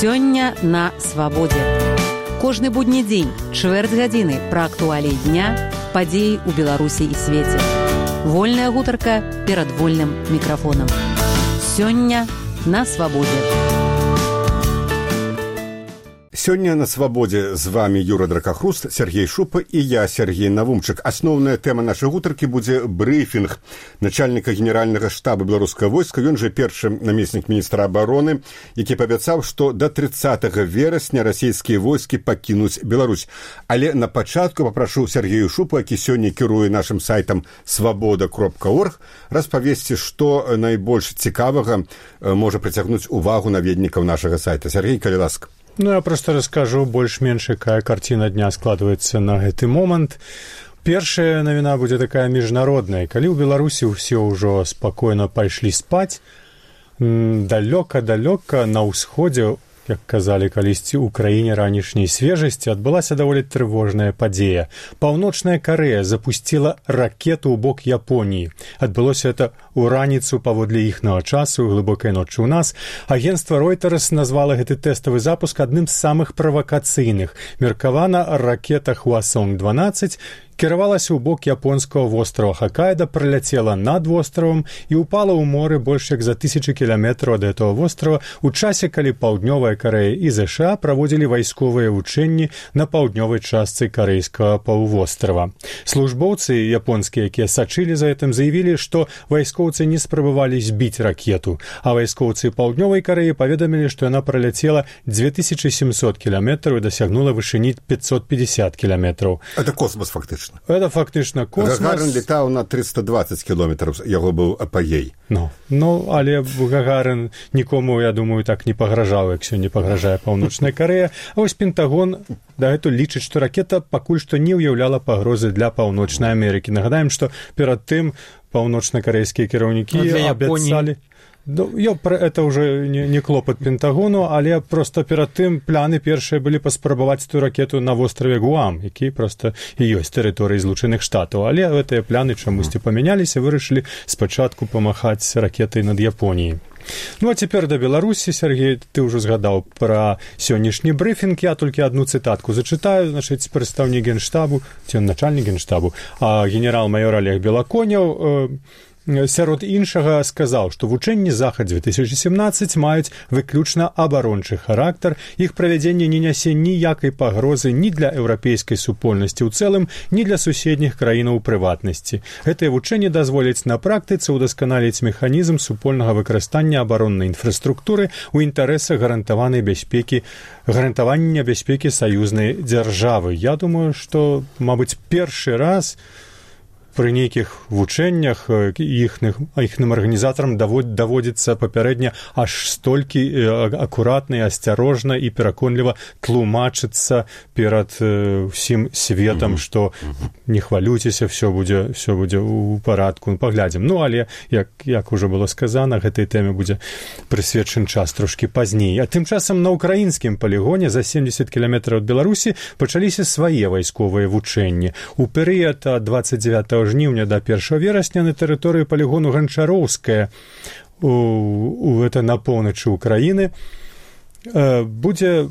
Сёння на свабодзе. Кожны будні дзень, чвэрць гадзіны пра актуаліі дня, падзеі ў Беларусі і свеце. Вольная гутарка перад вольным мікрафонам. Сёння на свабодзе. Сёння на свабодзе з вами Юра Дракахруст, Сергей Шупа і я, Сергей Навумчык. Асноўная тэма нашай гутаркі будзе брыфінг начальніка генеральнага штаба беларускага войска. Ён жа першы намеснік міністра абароны, які паабяцаў, што да 30 верасня расійскія войскі пакінуць Беларусь. Але на пачатку папрашу Сергею Шупу, які сёння кіруе нашым сайтам свабода.орг, распавесці, што найбольш цікавага можа прыцягнуць увагу наведнікаў нашага сайта. Сергей, калі ласка. Я просто расскажу больш-менш, якая карціна дня складваецца на гэты момант. Першая навіна будзе такая міжнародная. Калі ў Беларусі ўсе ўжо спакойна пайшлі спаць, далёка-далёка на ўсходзе, як казалі калісьці ў краіне ранішняй свежасці, адбылася даволі трывожная падзея. Паўночная Карэя запусціла ракету ў бок Японіі. Адбылося это ў раніцу паводле іхнага часу, глыбокай ночы ў нас. Агенцтва Reuters назвала гэты тэставы запуск адным з самых правакацыйных. Меркавана ракета Хвасонг-12 кіравалася ў бок японскага вострава Хоккайдо, праляцела над востравам і ўпала ў моры больш як за 1000 кіламетраў ад гэтага вострава у часе, калі Паўднёвая Карэя і ЗША праводзілі вайсковыя вучэнні на паўднёвай частцы карэйскага паўвострава. Службоўцы японскія, якія сачылі за гэтым, заявілі, што вайскоўцы не спрабавалі збіць ракету, а вайскоўцы Паўднёвай Карэі паведамілі, што яна праляцела 2700 кіламетраў і дасягнула вышыні 550 кіламетраў. Это космос, фактычна. Это фактычна космос. Гагарин летаў на 320 кіламетраў, яго быў апагей. Але Гагарин нікому, я думаю, так не пагражаў, як сёння пагражае Паўночная Карэя. А вось Пентагон дагэтуль лічыць, што ракета пакуль што не ўяўляла пагрозы для Паўночнай Амерыкі. Нагадаем, што перад тым паўночна-карэйскія кіраўнікі абяцалі... Это уже не клопат Пентагону, але просто перад тым пляны першыя былі паспрабаваць ту ракету на востраве Гуам, які просто і ёсць тэрыторыі Злучаных Штатаў. Але гэтыя пляны чамусьці памяняліся, вырашылі спачатку памахаць ракетай над Японіяй. А цяпер да Беларусі, Сергей, ты ўжо згадаў пра сённяшні брыфінг. Я толькі адну цытатку зачытаю. Прадстаўнік генштабу, ці начальнік генштабу, генерал-майор Олег Белаконяў сярод іншага сказаў, што вучэнні Захад-2017 маюць выключна абарончы характар. Іх правядзенне не нясе ніякай пагрозы ні для еўрапейскай супольнасці ў цэлым, ні для суседніх краінаў у прыватнасці. Гэтыя вучэнні дазволяць на практыцы ўдасканаліць механізм супольнага выкарыстання абароннай інфраструктуры ў інтарэсах гарантавання бяспекі саюзнай дзяржавы. Я думаю, што, мабыць, першы раз пры нейкіх вучэннях іхным арганізатарам даводзіцца папярэдне аж столькі акуратна і асцярожна і пераконліва тлумачыцца перад усім светам, што не хвалюйцеся, все будзе ў парадку, паглядзім. Але, як ужо было сказана, гэтай тэме будзе прысвечаны час трошкі пазней. А тым часам на ўкраінскім палігоне за 70 кіламетраў ад Беларусі пачаліся свае вайсковыя вучэнні. У перыяд ад 29 жніўня да 1 верасня на тэрыторыі палігону Ганчароўская, гэта на поўначы Украіны, будзе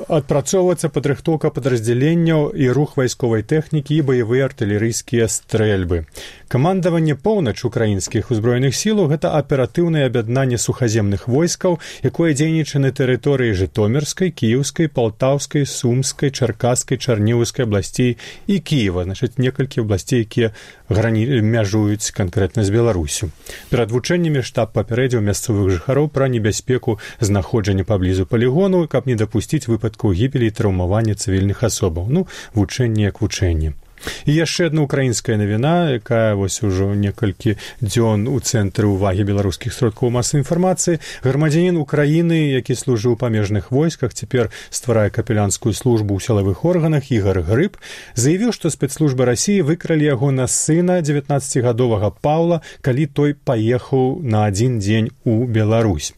адпрацоўвацца падрыхтоўка падраздзяленняў і рух вайсковай тэхнікі і баявыя артылерыйскія стрэльбы. Камандаванне поўнач украінскіх узброеных сілаў – гэта аператыўнае аб'яднанне сухаземных войскаў, якое дзейнічае на тэрыторыі Жытомірскай, Кіеўскай, Палтаўскай, Сумскай, Чаркасскай, Чарнівскай абласцей і Кіева. Некалькі абласцей, якія мяжуюць канкрэтна з Беларусю. Перад вучэннямі штаб папярэдзіў мясцовых жыхароў пра небяспеку знаходжання паблізу палігону, каб не дапусціць выпадкаў гібелі і траўмавання цывільных асобаў. Вучэнне як вучэнне. І яшчэ адна украінская навіна, якая вось ужо некалькі дзён у цэнтры ўвагі беларускіх сродкаў масавай інфармацыі. Грамадзянін Украіны, які служыў у памежных войсках, цяпер стварае капеланскую службу ў сілавых органах, Ігар Грыб, заявіў, што спецслужбы Расіі выкралі яго на сына 19-гадовага Паўла, калі той паехаў на адзін дзень у Беларусь.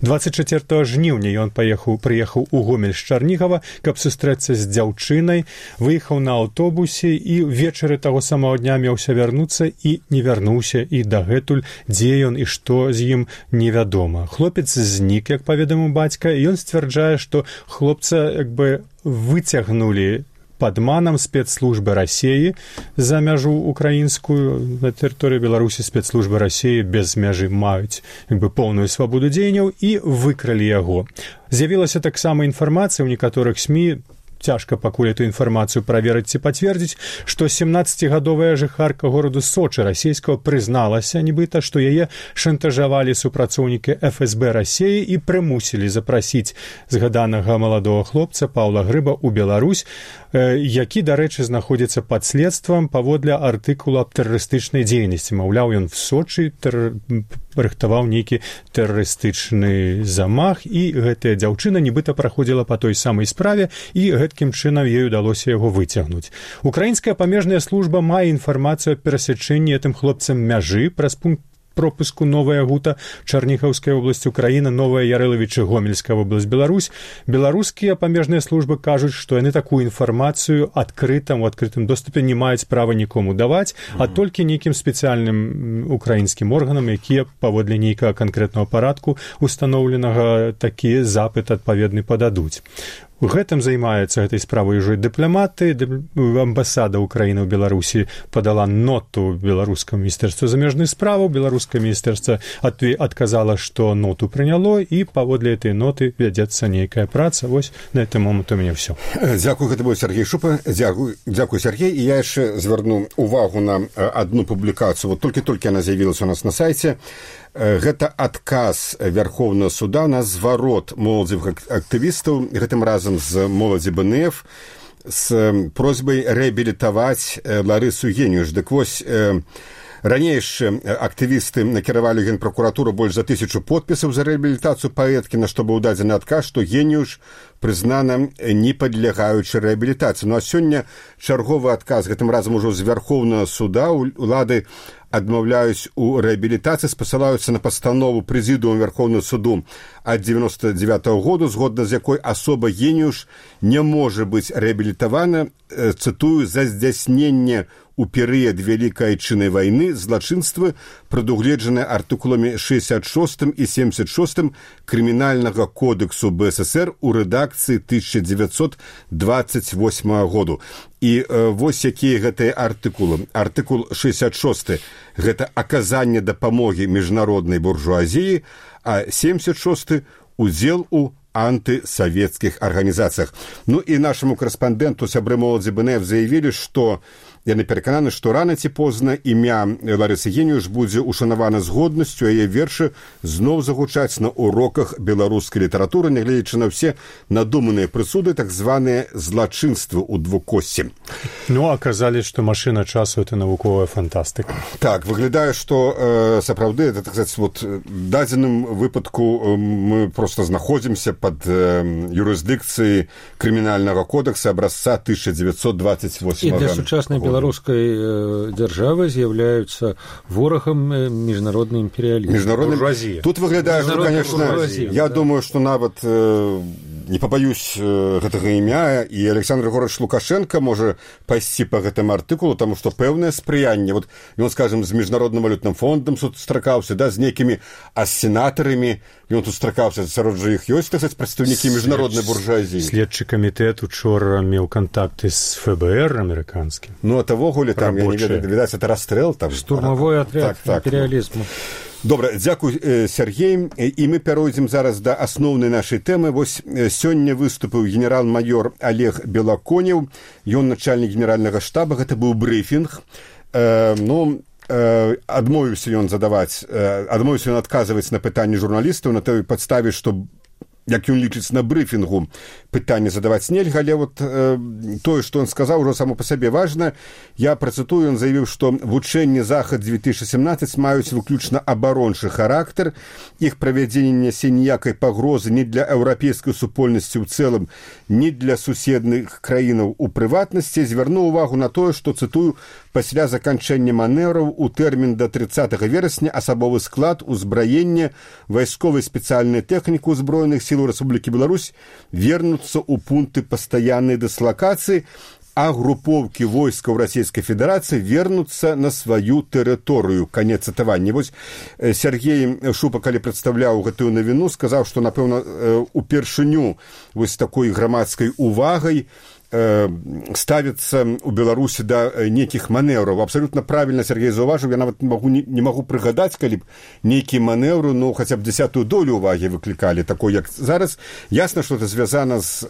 24 жніўня ён прыехаў у Гомель з Чарнігава, каб сустрэцца з дзяўчынай, выехаў на аўтобусе і вечары таго самого дня меўся вярнуцца і не вярнуўся, і дагэтуль дзе ён і што з ім невядома. Хлопец знік, як паведаміў бацька, і ён сцвярджае, што хлопца як бы выцягнулі падманам спецслужбы Расіі за мяжу украінскую. На тэрыторыі Беларусі спецслужбы Расіі без мяжы маюць як бы поўную свабоду дзеянняў і выкралі яго. З'явілася таксама інфармацыя ў некаторых СМІ, цяжка пакуль эту інфармацыю праверыць ці пацвердзіць, што 17гадовая жыхарка гораду Сочы расійскага прызналася, нібыта, што яе шантажавалі супрацоўнікі ФСБ Расіі і прымусілі запрасіць згаданага маладога хлопца Паўла Грыба ў Беларусь, які, дарэчы, знаходзіцца пад следствам паводле артыкула аб тэрарыстычнай дзейнасці. Маўляў, ён в Сочы рыхтаваў нейкі тэрарыстычны замах, і гэтая дзяўчына нібыта праходзіла па той самай справе, і гэткім чынам ёй удалося яго выцягнуць. Украінская памежная служба мае інфармацыю аб перасячэнні гэтым хлопцам мяжы праз пункт пропуску Новая Гута, Чарніхаўская область Украіна, Новая Ярэлавічы, Гомельская область Беларусь. Беларускія памежныя службы кажуць, што яны такую інфармацыю у адкрытым доступе не маюць права нікому даваць, а толькі нейкім спецыяльным украінскім органам, якія паводле нейкага канкрэтнага парадку устаноўленага такі запыт адпаведны пададуць. У гэтым займаецца гэтай справай ўжо дыпламаты. Амбасада Украіны ў Беларусі падала ноту беларускаму міністэрству замежных справаў. Беларускае міністэрства адказала, што ноту прыняло, і паводле этой ноты вядзецца нейкая праца. Вось на этом момент у мяне ўсё. Дзякую, гэта быў Сергей Шупа. Дзякую, Сергей. І я яшчэ звярну увагу на адну публікацыю. Вот толькі яна з'явілася у нас на сайце. Гэта адказ Вярхоўнага суда на зварот моладзевых актывістаў, гэтым разам з моладзі БНФ, з просьбай рэабілітаваць Ларысу Геніюш. Дык вось, ранейшыя актывісты накіравалі ў Генпракуратуру больш за 1000 подпісаў за рэабілітацыю паэткі, на што быў дадзены адказ, што Геніюш прызнана не падлягаючы рэабілітацыі. Ну а сёння чарговы адказ, гэтым разам ужо з Вярхоўнага суда. Улады адмаўляюць у рэабілітацыі, спасылаюцца на пастанову прэзідыума Вярхоўнага суду ад 99-го году, згодна з якой асоба Геніюш не можа быць рэабілітавана, цытую, за здзяйсненне у перыяд Вялікай Айчыннай вайны злачынствы, прадугледжаныя артыкуламі 66 і 76 Крымінальнага кодексу БССР у рэдакцыі 1928 году. І вось якія гэтыя артыкулы. Артыкул 66 – гэта аказанне дапамогі міжнароднай буржуазіі, а 76 – удзел у антысавецкіх арганізацыях. Ну і нашаму корэспандэнту сябры моладзі БНФ заявілі, што яны перакананы, што рана ці позна імя Ларысы Геніюш будзе ушанавана з годнасцю, а яе вершы зноў загучаць на уроках беларускай літаратуры, нягледзячы на ўсе надуманыя прысуды, так званыя злачынствы ў двукосці. Ну, аказалі, што машына часу – это навуковая фантастыка. Так, выглядае, што сапраўды, это, так сказать, вот дадзеным выпадку мы просто знаходзімся пад юрысдыкцыяй крымінальнага кодекса абразца 1928 года. І для сучаснай беларускай дзяржавы з'яўляюцца ворагам міжнародны імперыялізм. Буржуазія. Тут выглядае, што, конечно, я думаю, што нават не побаюсь гэтага імя, і Александр Григорьевич Лукашенко можа пайсці па гэтым артыкулу, таму што пэўнае спрыянне. Вот ён, скажем, з міжнародным валютным фондам сустракаўся, да, з нейкімі сенатарамі, ён тут сустракаўся, сярод жа іх ёсць, так сказаць, прадстаўнікі міжнароднай буржуазіі. Следчы камітэт учора меў кантакты з ФБР амерыканскім. Ну, а тавогуле там, я не ведаю, відаць, это расстрэл там. Штурмавой атряд імперыялізму. Добра, дзякуй, Сергей. І мы пяройдзем зараз да асноўнай нашай тэмы. Вось сёння выступіў генерал-майор Олег Белаконев, ён начальнік генеральнага штаба, гэта быў брыфінг. Адмовіўся ён адказваць на пытанні журналістаў на той падставе, што як ён лічыць на брыфінгу, пытанне задаваць нельга, але вот тое, што ён сказаў, ужо само па сабе важна. Я працытую, ён заявіў, што вучэнні Захад-2017 маюць выключна абарончы характар, іх правядзенне нясе ніякай пагрозы ні для еўрапейскай супольнасці ў цэлым, ні для суседных краінаў у прыватнасці. Звярнуў увагу на тое, што, цытую, пасля заканчэння манеўраў у тэрмін да 30 верасня асабовы склад, узбраенне, вайсковай спецыяльнай тэхніку ўзброеных сілаў Рэспублікі Беларусь вернуцца ў пункты пастаяннай дыслакацыі, а групоўкі войскаў Расійскай Федэрацыі вернуцца на сваю тэрыторыю. Канец цытавання. Вось Сергей Шупа, калі прадстаўляў гэтую навіну, сказаў, што, напэўна, упершыню вось такой грамадскай увагай ставіцца ў Беларусі да нейкіх манеўраў. Абсалютна правільна Сергей заўважыў, я нават не магу прыгадаць, калі б нейкія манеўры, ну, хаця б 10-ую долю ўвагі выклікалі, такой, як зараз. Ясна, што это звязана з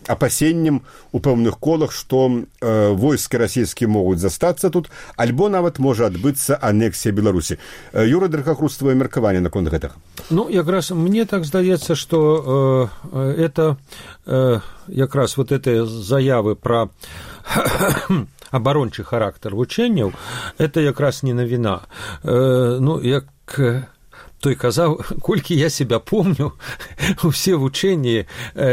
апасеннем у пэўных колах, што войскі расійскія могуць застацца тут, альбо нават можа адбыцца анексія Беларусі. Юра Дракахруст, твоё меркаванне наконт гэтага? Ну, якраз мне так здаецца, што это якраз вот этой заявы про абарончы характар вучэнняў, это якраз не навіна. Ну, як той казаў, колькі я себя помню, усе вучэнні,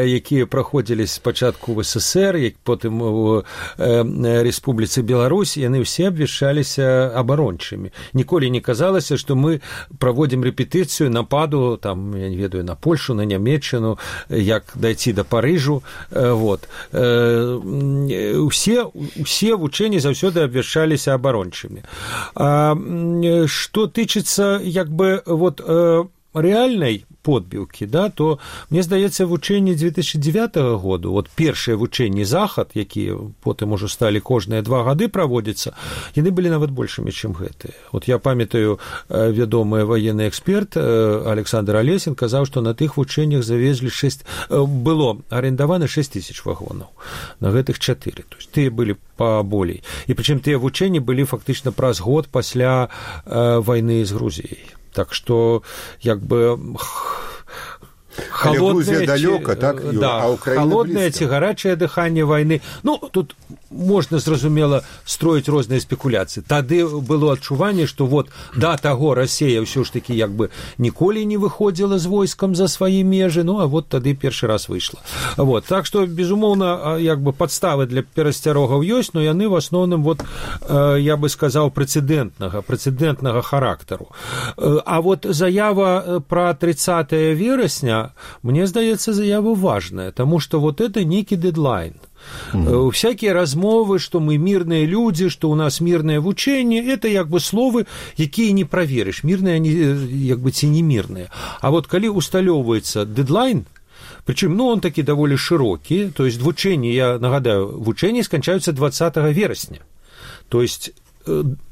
якія праходзілі спачатку в СССР, як потым у Рэспубліцы Беларусь, яны ўсе абвяшчаліся абарончымі. Ніколі не казалася, што мы праводзім рэпетыцыю нападу, там, я не ведаю, на Польшу, на Нямецчыну, як дайці да Парыжу. Вот. Усе вучэнні заўсёды абвяшчаліся абарончымі. Што тычыцца, як бы, вот, реальной подбілкі, да, то, мне здаецца, вучэнні 2009 году, вот першыя вучэнні Захад, якія потым ужо сталі кожныя 2 гады праводзіцца, яны былі нават большымі, чым гэтыя. Вот я памятаю, вядомы военны эксперт Александр Алесін казаў, што на тых вучэннях завезлі было арендавана 6 000 вагонаў, на гэтых 4. То есть тыя былі паболей. І прычым тыя вучэнні былі фактычна праз год пасля вайны з Грузіяй. Так что, як бы, холодное, далёка, так, Юра, да, а холодное ці гарачае дыханне вайны. Ну, тут можна, зразумела, строіць розныя спекуляцыі. Тады было адчуванне, што вот да таго Расія ўсё ж такі як бы ніколі не выходзіла з войскам за свае межы, ну, а вот тады першы раз выйшла. Вот. Так што, безумоўна, як бы падставы для перасцярогаў ёсць, но яны в асноўным, вот, я бы сказаў, прэцэдэнтнага характару. А вот заява пра 30 верасня, мне здаецца, заява важная, таму што вот это нейкі дедлайн. Всякие размовы, что мы мирные люди, что у нас мирное вучение, это як бы словы, якія не праверыш, мирные они як бы ці не мирные. А вот калі усталёўваецца дедлайн, причем, ну, он таки даволі широкі, то есть вученні, я нагадаю, вученні сканчаюцца 20 верасня. То есть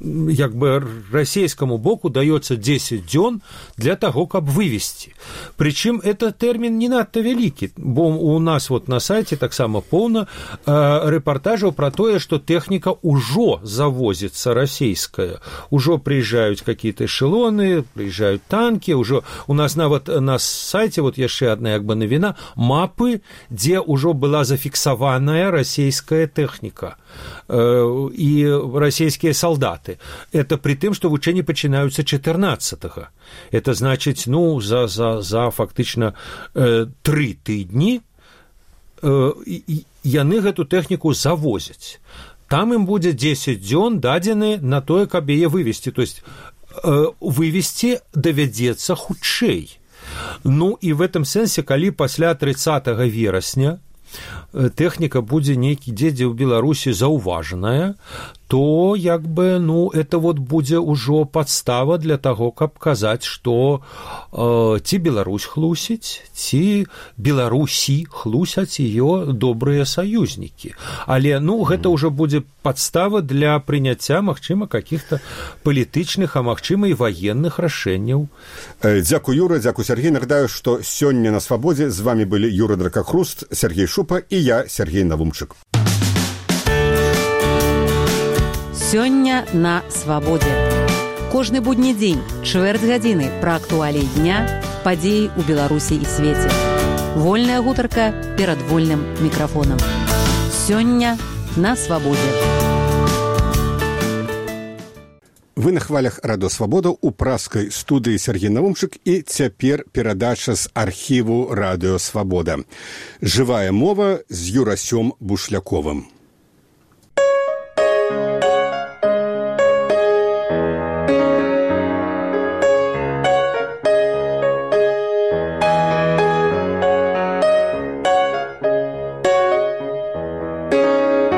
як бы расійскому боку даецца 10 дзён для таго, каб вывесці. Прычым это тэрмін не надта вялікі, бо у нас вот на сайце таксама поўна рэпартажаў пра тое, што тэхніка ўжо завозіцца расійская. Ужо прыязджаюць какие-то эшелоны, прыязджаюць танкі, ўжо у нас нават на сайце, вот яшчэ адна як бы навіна, мапы, дзе ўжо была зафіксаваная расійская тэхніка і расійскія солдаты. Это при тым, што вучэнні пачынаюцца 14-го. Это значыць, ну, за фактычна 3 тыдні яны гэту тэхніку завозяць. Там ім будзе 10 дзён дадзены на тое, каб яе вывесці. То есть вывесці давядзецца хутчэй. Ну, і в этом сэнсе, калі пасля 30 верасня тэхніка будзе нейкі дзе ў Беларусі заўважаная, то як бы, ну, это вот будзе ўжо падстава для таго, каб казаць, што ці Беларусь хлусіць, ці Беларусі хлусяць ее добрыя саюзнікі. Але, ну, гэта ўжо будзе падстава для прыняцця, магчыма, каких-то палітычных, а магчыма, і ваенных рашэнняў. Дзякуй, Юра, дзякуй, Сергей. Нагадаю, што сёння на Свабодзе з вами былі Юра Дракахруст, Сергей Шупа і я, Сергей Навумчык. Сёння на Свабодзе. Кожны будні дзень, чвэрць гадзіны пра актуаліі дня, падзеі ў Беларусі і свеце. Вольная гутарка перад вольным мікрафонам. Сёння на свабодзе. Вы на хвалях Радыё Свабода ў праскай студыі Сергей Навумчык і цяпер перадача з архіву Радыё Свабода. Жывая мова з Юрасём Бушляковым.